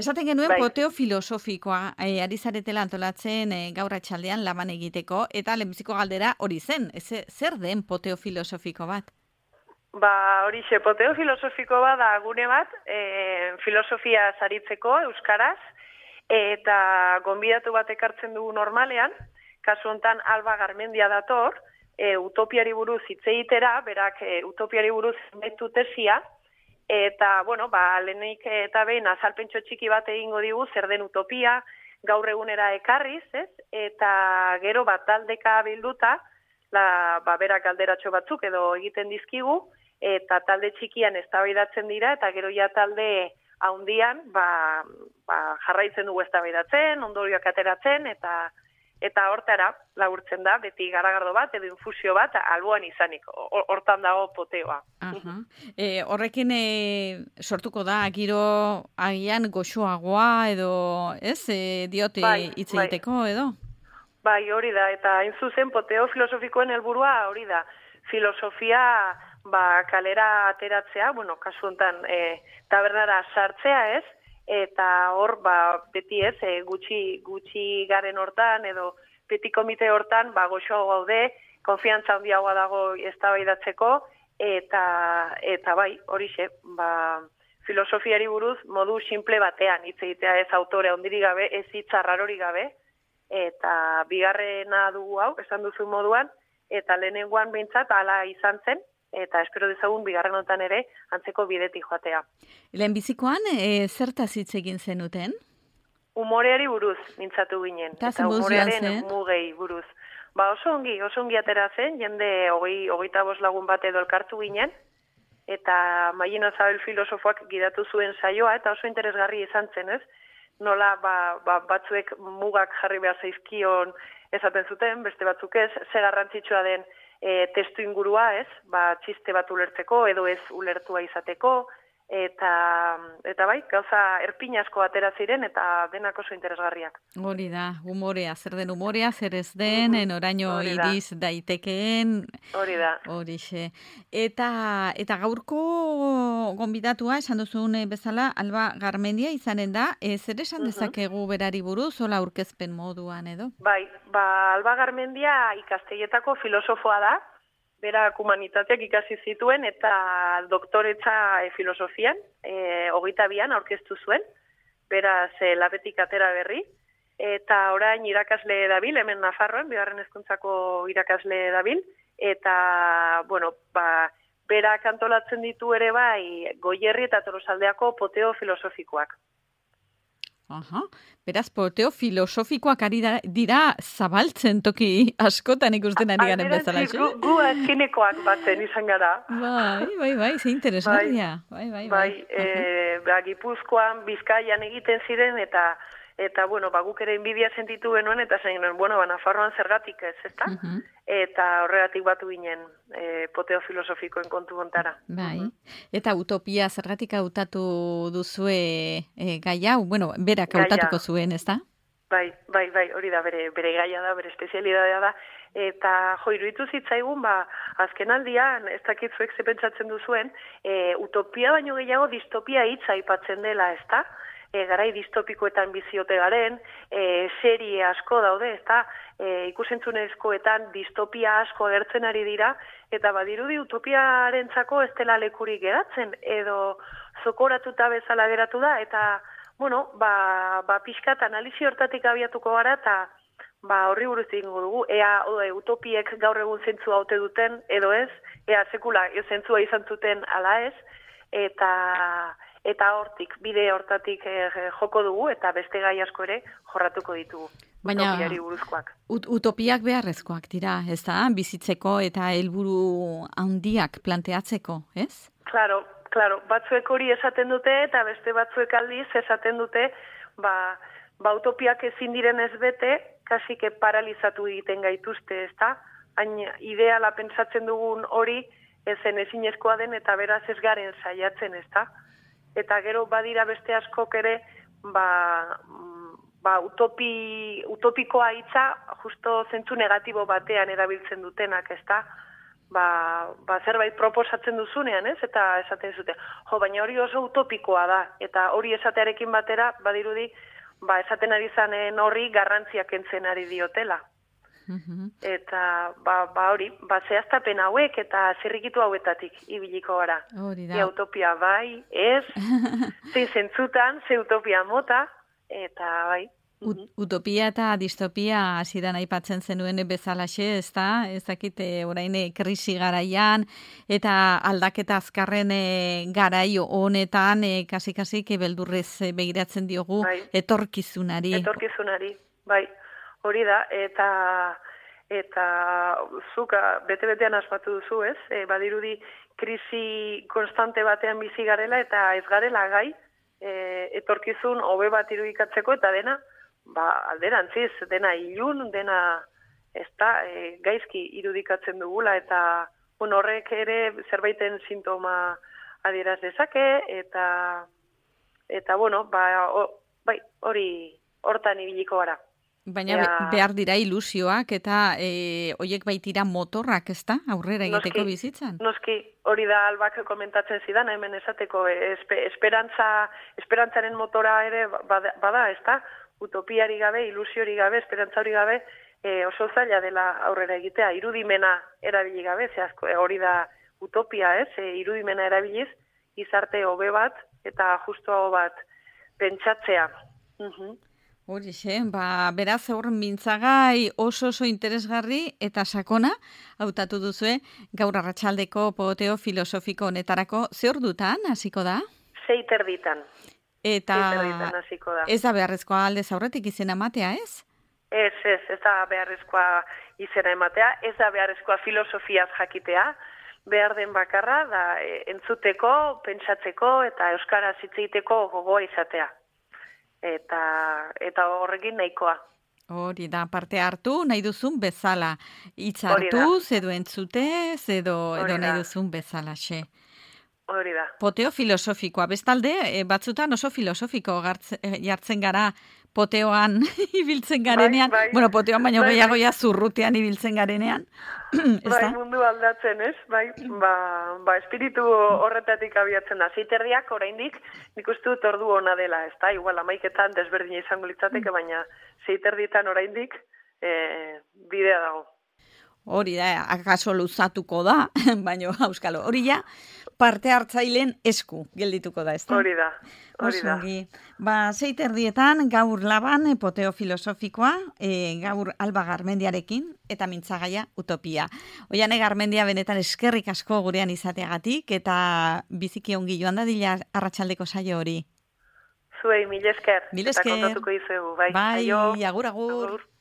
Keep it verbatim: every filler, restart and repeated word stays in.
Esaten genuen bai. poteo filosofikoa e, ari zaretela antolatzen e, gaur atxaldean laban egiteko, eta lehenbiziko galdera hori zen, ez, zer den poteo filosofiko bat? Ba, horixe, poteo filosofiko bat da gune bat, e, filosofia saritzeko euskaraz, eta gonbidatu bat ekartzen dugu normalean, kasu hontan Alba Garmendia dator, e, utopiari buruz hitz egitera, berak e, utopiari buruz zenbaitu tesia, eta, bueno, ba, lehenik eta behin azalpentso txiki bat egingo digu zer den utopia, gaur egunera ekarriz, ez? Eta gero bat taldeka bilduta, la, ba, berak galderatxo batzuk edo egiten dizkigu, eta talde txikian eztabaidatzen dira, eta gero ja talde haundian, ba, ba, jarraitzen dugu eztabaidatzen, ondorioak ateratzen, eta eta hortara laburtzen da, beti garagardo bat, edo infusio bat, alboan izanik, hortan dago poteoa. Aha. E, horrekin e, sortuko da, giro agian goxoagoa, edo, ez, e, diote bai, hitz egiteko, edo? Bai, hori da, eta hain zuzen poteo filosofikoen helburua hori da, filosofia ba, kalera ateratzea, bueno, kasu honetan e, tabernara sartzea ez, eta hor, ba, beti ez, e, gutxi, gutxi garen hortan, edo beti komite hortan, ba, goxoago gaude, konfiantza handiagoa dago eztabaidatzeko, eta, eta bai, horixe, ba, filosofiari buruz modu simple batean, hitz egitea ez autore handirik gabe, ez hitz arrarorik gabe, eta bigarrena dugu hau, esan duzu moduan, eta lehenengoan behintzat hala izan zen, eta espero dezagun bigarren honetan ere antzeko bidetik joatea. Lehenbizikoan, e, zertaz hitz egin zenuten? Umoreari buruz mintzatu ginen, Ta eta umorearen mugei buruz. Ba oso ongi, oso ongi atera zen, jende hogei, hogeita bost lagun bat edo elkartu ginen, eta Mailen Azabel filosofoak gidatu zuen saioa, eta oso interesgarri izan zen, ez? Nola ba, ba, batzuek mugak jarri behar zaizkion esaten zuten, beste batzuk ez, ze garrantzitsua den E, testu ingurua, ez, ba, txiste bat ulertzeko, edo ez ulertua izateko, eta, eta bai, gauza erpin asko atera ziren, eta denak oso interesgarriak. Hori da, humorea, zer den humorea, zer ez den, mm-hmm. Oraino iriz daitekeen. Hori da. Horixe. Eta, eta gaurko gonbidatua, esan duzun bezala, Alba Garmendia izanen da, e, zer esan dezakegu berari buruz, hola aurkezpen moduan edo? Bai, ba, Alba Garmendia ikastegietako filosofoa da, berak humanitateak ikasi zituen eta doktoretza e, filosofian, e, hogeita bian aurkeztu zuen, beraz e, labetik atera berri, eta orain irakasle dabil, hemen Nafarroan, bigarren hezkuntzako irakasle dabil, eta, bueno, ba, berak antolatzen ditu ere bai Goierri eta Tolosaldeako poteo filosofikoak. Aha, beraz, poteo filosofikoak ari dira zabaltzen toki askotan ikusten ari garen bezala. Gu, gu azkenekoak batzen izan gara. Bai, bai, bai, ze interesgarria. Bai, bai, bai. Bai, e, ba, Gipuzkoan, Bizkaian egiten ziren, eta, eta bueno, ba, guk ere inbidia sentitu genuen, eta zain genuen, bueno, ba, Nafarroan zergatik ez, ezta? Uh -huh. Eta horregatik batu ginen e, poteo filosofikoen kontu hontara. Bai, uh -huh. Eta utopia zergatik hautatu duzue e, gai hau? Bueno, berak hautatuko zuen, ezta? Bai, bai, bai, hori da, bere, bere gaia da, bere espezialidadea da, eta jo, iruditu zitzaigun, ba, azken aldian, ez dakit zuek ze pentsatzen duzuen, e, utopia baino gehiago distopia hitza aipatzen dela, ezta? E, garai distopikoetan biziote garen, e, serie asko daude, ezta? E, ikusentzunezkoetan distopia asko agertzen ari dira, eta badirudi utopiarentzako ez dela lekurik geratzen, edo zokoratuta bezala geratu da, eta bueno, ba, ba pixkat analizi hortatik abiatuko gara, eta ba, horri buruz egingo dugu, ea o, e, utopiek gaur egun zentzua haute duten, edo ez, ea sekula zentzua izan zuten ala ez, eta eta hortik, bide hortatik e, joko dugu, eta beste gai asko ere jorratuko ditugu. Baina, utopiari buruzkoak. Ut utopiak beharrezkoak dira, ez da? Bizitzeko eta helburu handiak planteatzeko, ez? Claro, claro, batzuek hori esaten dute, eta beste batzuek aldiz esaten dute, ba, ba utopiak ezin diren ez bete, kasike paralizatu egiten gaituzte, ez da? Hain ideala pentsatzen dugun hori, ezen ezinezkoa den, eta beraz ez garen saiatzen, ez da? Eta gero badira beste askok ere, ba, ba utopi, utopikoa hitza justo zentzu negatibo batean erabiltzen dutenak, ezta? ba, ba zerbait proposatzen duzunean, ez? Eta esaten zute, jo, baina hori oso utopikoa da, eta hori esatearekin batera, badirudi, ba, esaten ari zanen horri garrantziak kentzen ari diotela. Mhm. Eta, ba, ba hori, ba, zehaztapen hauek eta zirrikitu hauetatik ibiliko gara. Hori da. Ia utopia bai, ez, zein zentzutan, ze utopia mota, eta bai. Ut utopia eta distopia hasidan aipatzen zenuen bezalaxe, ez da? Ez dakite orain krisi garaian eta aldaketa azkarren e, garaio honetan e, kasi-kasi beldurrez begiratzen diogu bai. etorkizunari. Etorkizunari, bai. Hori da, eta eta zuka bete-betean asmatu duzu, ez? E, badirudi krisi konstante batean bizi garela eta ez garela gai e, etorkizun hobe bat irudikatzeko eta dena ba, alderantziz, dena ilun, dena ez da, e, gaizki irudikatzen dugula, eta bueno, horrek ere zerbaiten sintoma adieraz dezake, eta eta bueno, ba, o, bai, hori hortan ibiliko gara. Baina Ea, behar dira ilusioak eta e, oiek baitira motorrak, ez da? Aurrera egiteko noski, bizitzan? Noski, hori da Albak komentatzen zidan, hemen esateko, espe, esperantza, esperantzaren motora ere bada, bada ez da? Utopiari gabe, ilusiori gabe, esperantza hori gabe, e, oso zaila dela aurrera egitea, irudimena erabili gabe, ze asko, e, hori da utopia, ez? E, irudimena erabiliz, izarte hobe bat eta justuago bat pentsatzea. Uh-huh. Horixe, ba, beraz hor mintzagai oso oso interesgarri eta sakona hautatu duzue gaur arratsaldeko poteo filosofiko honetarako. Ze ordutan hasiko da? Sei terditan. Eta da. Ez da beharrezkoa aldez aurretik izena ematea, ez? Ez, ez, ez da beharrezkoa izena ematea, ez da beharrezkoa filosofiaz jakitea, behar den bakarra da entzuteko, pentsatzeko eta euskaraz hitz egiteko gogoa izatea. Eta, eta horrekin nahikoa. Hori da, parte hartu, nahi duzun bezala. Hitz hartuz, edo entzutez, edo, edo nahi duzun bezala, xe. Hori da. Poteo filosofikoa. Bestalde, batzutan oso filosofiko jartzen gara poteoan ibiltzen garenean. Bai, bai. Bueno, poteoan baino bai, gehiago ja zurrutean ibiltzen garenean. Bai, mundu aldatzen, ez? Bai, ba, ba espiritu horretatik abiatzen da. Zeiterdiak oraindik nik uste dut ordu ona dela, ez da? Igual amaiketan desberdina izango litzateke, baina zeiterditan oraindik e, bidea dago. Hori da, akaso luzatuko da, baina auskalo, hori ja, parte hartzaileen esku geldituko da, ez da? Hori da, hori da. Ba, zeiterdietan gaur laban poteo filosofikoa, e, gaur Alba Garmendiarekin, eta mintzagaia utopia. Oiane Garmendia benetan eskerrik asko gurean izateagatik, eta biziki ongi joan da dila arratsaldeko saio hori. Zuei, mil esker. Mil esker. Eta kontatuko izuegu, bai. Bai, agur, agur. agur.